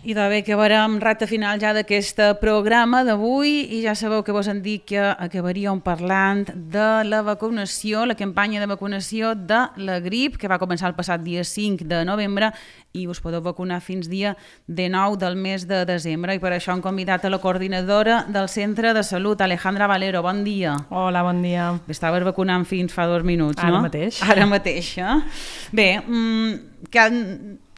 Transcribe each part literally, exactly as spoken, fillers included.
I de bé que acabarem recta final ja d'aquest programa d'avui i ja sabeu que vos han dit que acabaríem parlant de la vacunació, la campanya de vacunació de la grip que va començar el passat dia cinc de novembre i us podeu vacunar fins dia dinou del mes de desembre i per això hem convidat a la coordinadora del Centre de Salut, Alejandra Valero. Bon dia. Hola, bon dia. Estaves vacunant fins fa dos minuts, Ara no? Ara mateix. Ara mateix, eh? Bé, mmm, que...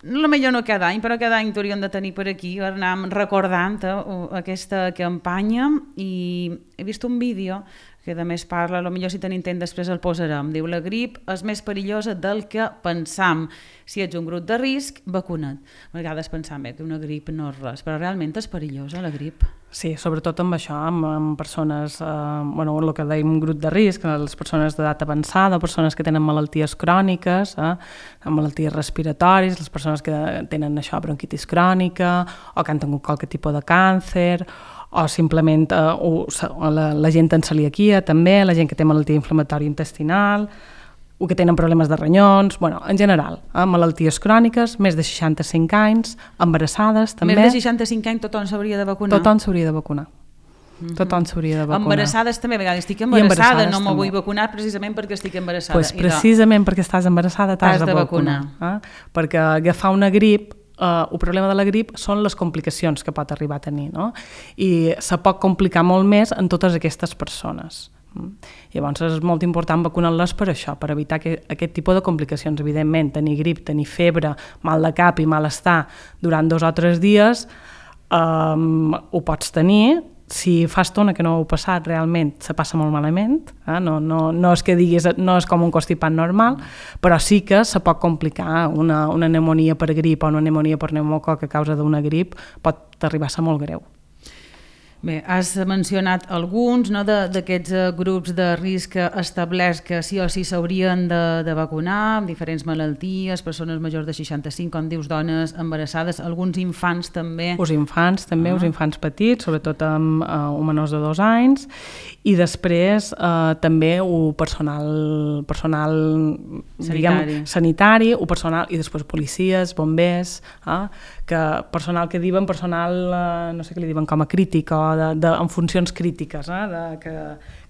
potser no cada any, però cada any t'hauríem de tenir per aquí, anàvem recordant eh, aquesta campanya i he vist un vídeo que a més parla, potser si tenim temps després el posarem, diu la grip és més perillosa del que pensam. Si ets un grup de risc, vacuna't. A vegades pensam bé, que una grip no és res, però realment és perillosa la grip. Sí, sobretot amb això, amb, amb persones, eh, bueno, el que dèiem grup de risc, les persones d'edat avançada, persones que tenen malalties cròniques, eh, malalties respiratòries, les persones que tenen això, bronquitis crònica, o que han tingut qualque tipus de càncer, o simplement eh, o, la, la gent amb celiaquia també, la gent que té malaltia inflamatòria intestinal, o que tenen problemes de ronyons, bueno, en general, eh, malalties cròniques, més de seixanta-cinc anys, embarassades també. Més de seixanta-cinc anys tothom s'hauria de vacunar? Tothom s'hauria de vacunar. Mm-hmm. Tothom s'hauria de vacunar. Embarassades també, a vegades estic embarassada, no me vull vacunar precisament perquè estic embarassada. Pues precisament perquè estàs embarassada t'has de, de vacunar. vacunar. Eh? Perquè agafar una grip, Uh, el problema de la grip són les complicacions que pot arribar a tenir, no? I se pot complicar molt més en totes aquestes persones. Mm. Llavors és molt important vacunar-les per això, per evitar que, aquest tipus de complicacions. Evidentment, tenir grip, tenir febre, mal de cap i malestar durant dos o tres dies um, ho pots tenir. Si fa estona que no ho heu passat, realment se passa molt malament, eh? no, no, no és que diguis, no és com un constipat normal, però sí que se pot complicar una, una pneumonia per grip o una pneumonia per pneumococ a causa d'una grip, pot arribar a ser molt greu. Bé, has mencionat alguns no, d'aquests grups de risc establerts que sí o sí s'haurien de, de vacunar, amb diferents malalties, persones majors de seixanta-cinc, com dius, dones embarassades, alguns infants també. Els infants també, els ah. infants petits, sobretot amb eh, menors de dos anys, i després eh, també el personal, personal sanitari. Diguem, sanitari, o personal, i després policies, bombers, eh, que personal que diuen personal, eh, no sé què li diuen, com a crític o de, de, en funcions crítiques, eh, de, que,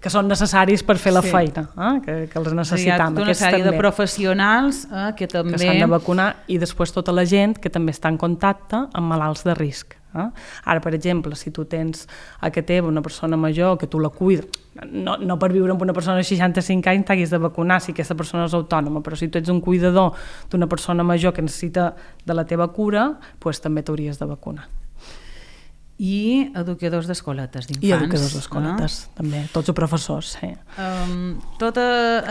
que són necessaris per fer la sí. feina, eh, que, que els necessitam. Hi ha tota una sèrie també, de professionals eh, que també... Que s'han de vacunar, i després tota la gent que també està en contacte amb malalts de risc. Eh? Ara, per exemple, si tu tens a que teva una persona major que tu la cuida, no, no per viure amb una persona de seixanta-cinc anys t'haguis de vacunar si aquesta persona és autònoma, però si tu ets un cuidador d'una persona major que necessita de la teva cura, doncs també t'hauries de vacunar. I educadors d'escoletes d'infants. I educadors d'escoletes, eh? també, tots els professors. Sí. Um, tota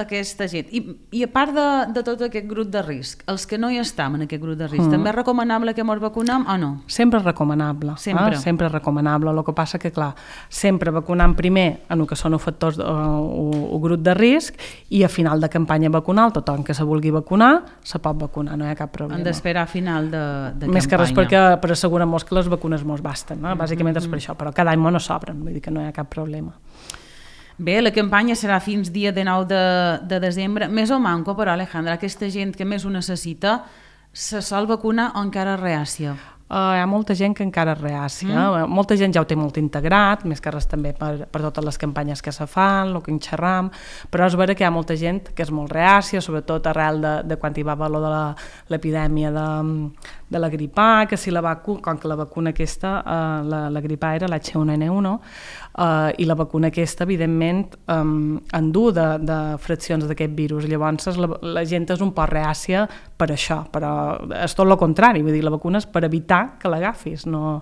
aquesta gent. I, i a part de, de tot aquest grup de risc, els que no hi estem en aquest grup de risc, mm. també és recomanable que ens vacunem o no? Sempre és recomanable. Sempre. Eh? Sempre és recomanable. El que passa que, clar, sempre vacunant primer en el que són els factors, el grup de risc, i a final de campanya vacunal, tothom que se vulgui vacunar, se pot vacunar, no hi ha cap problema. Han d'esperar a final de, de Més campanya. que res perquè, per assegurar-nos que les vacunes mos basten, no? Bàsicament és per això, però cada any no s'obren, vull dir que no hi ha cap problema. Bé, la campanya serà fins dia dinou de, de desembre. Més o manco, però, Alejandra, aquesta gent que més ho necessita se sol vacunar o encara reàcia? Uh, hi ha molta gent que encara és reàcia, mm. molta gent ja ho té molt integrat, més que res també per, per totes les campanyes que se fan, el que en xerram, però és vera que hi ha molta gent que és molt reàcia, sobretot arrel de, de quan hi va haver de l'epidèmia de, de la grip A, que si la vacuna, com que la vacuna aquesta, uh, la, la grip A era l'H u N u, uh, i la vacuna aquesta, evidentment, um, endú de, de fraccions d'aquest virus, llavors la, la gent és un poc reàcia per això, però és tot el contrari, vull dir, la vacuna és per evitar que l'agafis, no,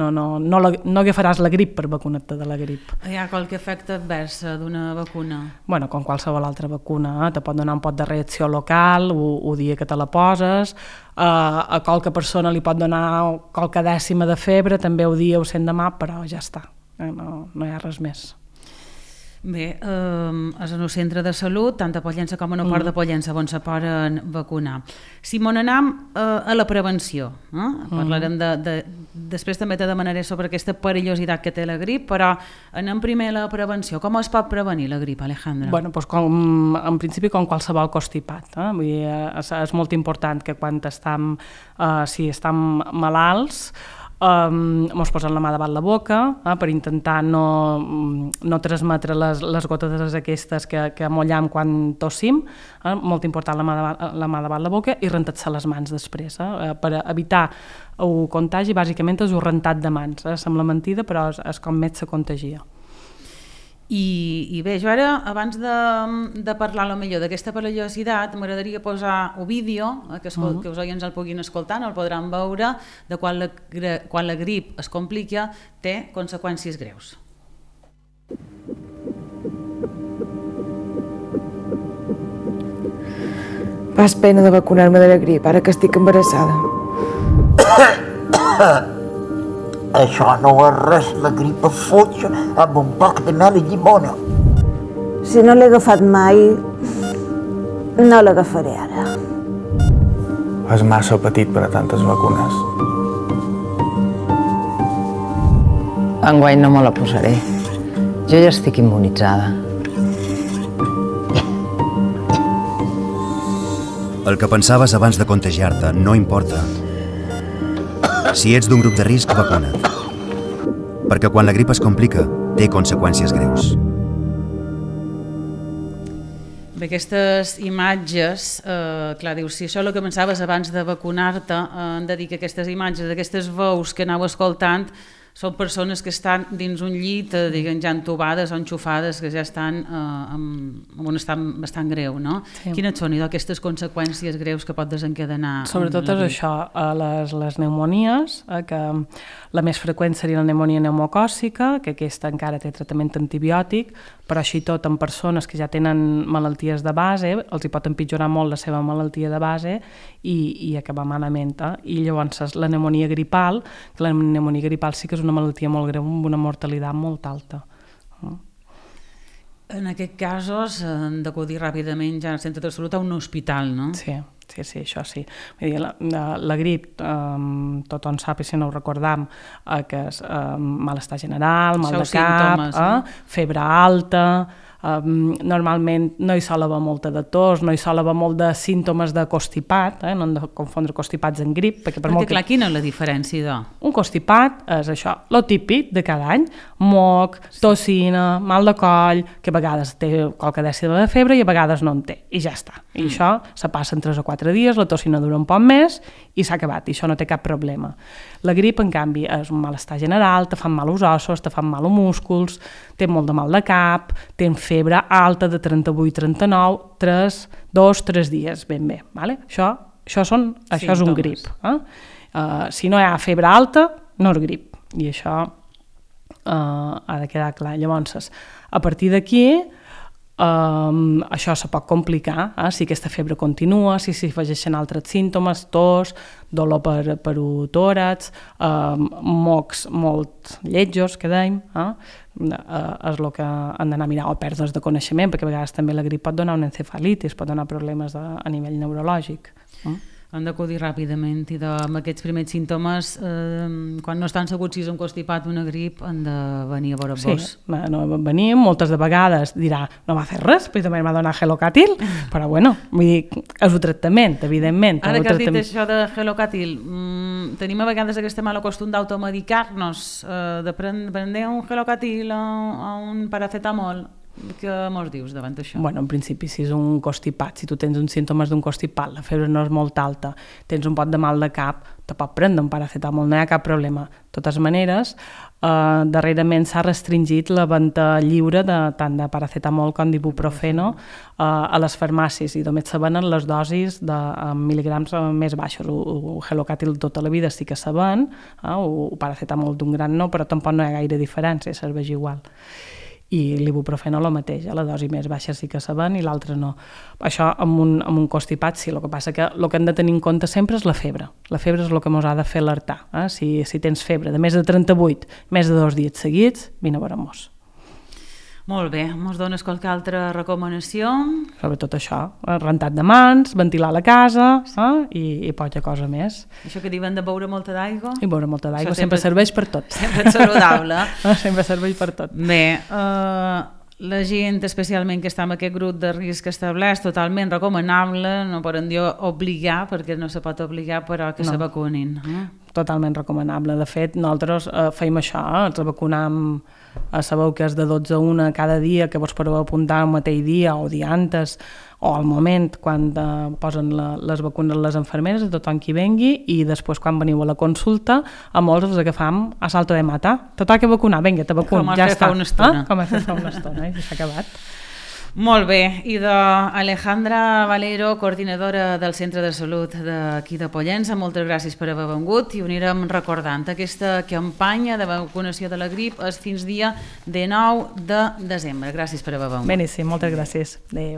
no, no, no, la, no agafaràs la grip per vacunar-te de la grip. Hi ha qualque efecte advers d'una vacuna? Bueno, com qualsevol altra vacuna, eh? Te pot donar un pot de reacció local el dia que te la poses, eh, a qualque persona li pot donar qualque dècima de febre, també el dia o cent demà, però ja està, eh? no, no hi ha res més. Bé, eh, és en el centre de salut, tant a Pollença com a no Port de Pollença, on se poden vacunar. Si m'on anem eh, a la prevenció, eh? parlarem de, de... Després també te demanaré sobre aquesta perillositat que té la grip, però anem primer a la prevenció. Com es pot prevenir la grip, Alejandra? Bueno, doncs com, en principi com qualsevol constipat. Eh? Vull dir, és, és molt important que quan estem, eh, si estem malalts, Um, mos posen la mà davant la boca eh, per intentar no, no transmetre les, les gotes aquestes que, que mollem quan tossim, eh, molt important la mà, davant, la mà davant la boca i rentar-se les mans després, eh, per evitar el contagi. Bàsicament és un rentat de mans, eh, sembla mentida però és, és com més se contagia. I, i bé, jo ara, abans de, de parlar lo millor d'aquesta perillositat, m'agradaria posar un vídeo eh, que, escol, uh -huh. que us oients el puguin escoltar, no el podran veure, de quan la, quan la grip es complica, té conseqüències greus. Fas pena de vacunar-me de la grip, ara que estic embarassada. Això no és res, la grip es fotja amb un poc de mel i llimona. Si no l'he agafat mai, no l'agafaré ara. És massa petit per a tantes vacunes. Enguany no me la posaré. Jo ja estic immunitzada. El que pensaves abans de contagiar-te no importa. Si ets d'un grup de risc, vacuna't. Perquè quan la grip es complica, té conseqüències greus. Bé, aquestes imatges, eh, clar, dius, si això és el que pensaves abans de vacunar-te, eh, hem de dir que aquestes imatges, aquestes veus que aneu escoltant, són persones que estan dins un llit, eh, diguem, ja entubades o enxufades, que ja estan eh, en, en un estat bastant greu, no? Sí. Quines són, idò, aquestes conseqüències greus que pot desencadenar? Sobretot és això, les, les pneumonies, eh, que la més freqüent seria la pneumonia pneumocòcica, que aquesta encara té tractament antibiòtic, però així tot en persones que ja tenen malalties de base, els hi pot empitjorar molt la seva malaltia de base i, i acabar malament. Eh? I llavors la pneumonia gripal, que la pneumonia gripal sí que és una malaltia molt greu amb una mortalitat molt alta. En aquests casos han d'acudir ràpidament ja al centre de salut a un hospital, no? Sí, sí, sí, això sí. Vull dir, la, la, la grip, um, tothom sap, i si no ho recordam, eh, que és um, malestar general, mal de cap, símptomes, eh? eh? febre alta, Um, normalment no hi sol haver molta de tos, no hi sol haver molt de símptomes de constipat, eh? No hem de confondre constipats en grip. Perquè, per perquè molt clar, que... quina és la diferència, doncs? Un constipat és això, lo típic de cada any, moc, tossina, mal de coll, que a vegades té qualque dècima de febre i a vegades no en té, i ja està. I mm. això se passa en tres o quatre dies, la tossina dura un poc més i s'ha acabat, i això no té cap problema. La grip, en canvi, és un malestar general, te fan mal els ossos, te fan mal els músculs, té molt de mal de cap, tens febre alta de trenta-vuit trenta-nou, tres, dos, tres dies, ben bé. Vale? Això, això, són, això és un grip. Eh? Uh, si no hi ha febre alta, no és grip. I això uh, ha de quedar clar. Llavors, a partir d'aquí, Um, això se pot complicar, eh? Si aquesta febre continua, si s'hi afegeixen altres símptomes, tos, dolor per, per tòrax, um, mocs molt lletjos, que dèiem, eh? Uh, és el que han d'anar a mirar, o pèrdues de coneixement, perquè a vegades també la grip pot donar una encefalitis, pot donar problemes de, a nivell neurològic. Eh? Han d'acudir ràpidament i de, amb aquests primers símptomes, eh, quan no estan segurs si és un constipat o una grip, han de venir a veure sí, vos. No, venim, moltes de vegades dirà, no va fer res, però també m'ha donat Gelocatil, però bueno, vull dir, és un tractament, evidentment. Ara que has tractament. dit això de Gelocatil, mmm, tenim a vegades aquest mal costum d'automedicar-nos, eh, de prendre un Gelocatil o, o un paracetamol. Què mos dius davant d'això? Bueno, en principi, si és un constipat, si tu tens uns símptomes d'un constipat, la febre no és molt alta, tens un pot de mal de cap, te pot prendre un paracetamol, no hi ha cap problema. De totes maneres, eh, darrerament s'ha restringit la venda lliure de, tant de paracetamol com d'ibuprofeno eh, a les farmàcies, i només se venen les dosis de mil·ligrams més baixos. El Gelocatil tota la vida sí que se ven, eh, o paracetamol d'un gran no, però tampoc no hi ha gaire diferència, serveix igual. I l'ibuprofeno el mateix, la dosi més baixa sí que se ven i l'altra no. Això amb un, amb un constipat sí, el que passa que el que hem de tenir en compte sempre és la febre. La febre és el que ens ha de fer alertar. Eh? Si, si tens febre de més de trenta-vuit, més de dos dies seguits, vine a veure-mos. Molt bé, ens dones qualque altra recomanació? Sobretot això, rentat de mans, ventilar la casa eh? I, i poca cosa més. Això que diuen de beure molta d'aigua? I beure molta d'aigua, sempre, sempre serveix per tot. Sempre és saludable. Sempre serveix per tot. Bé, eh, la gent, especialment que està en aquest grup de risc establert, totalment recomanable, no poden dir obligar, perquè no se pot obligar, però que no. se vacunin. Eh? totalment recomanable. De fet, nosaltres eh, feim això, eh? ens vacunam, eh, sabeu que és de dotze a una cada dia, que vos podeu apuntar el mateix dia o dia antes, o al moment quan eh, posen la, les vacunes les infermeres, a tothom qui vengui, i després quan veniu a la consulta, a molts els agafam a salto de mata. Tothom que vacunar, vinga, te vacun, ja està. Com has fet fa una estona. Eh? Com has fet fa una estona, i s'ha acabat. Molt bé, i d'Alejandra Valero, coordinadora del Centre de Salut d'aquí de Pollença, moltes gràcies per haver vengut i ho anirem recordant. Aquesta campanya de vacunació de la grip és fins dia dinou de desembre. Gràcies per haver vengut. Beníssim, moltes gràcies. Adéu.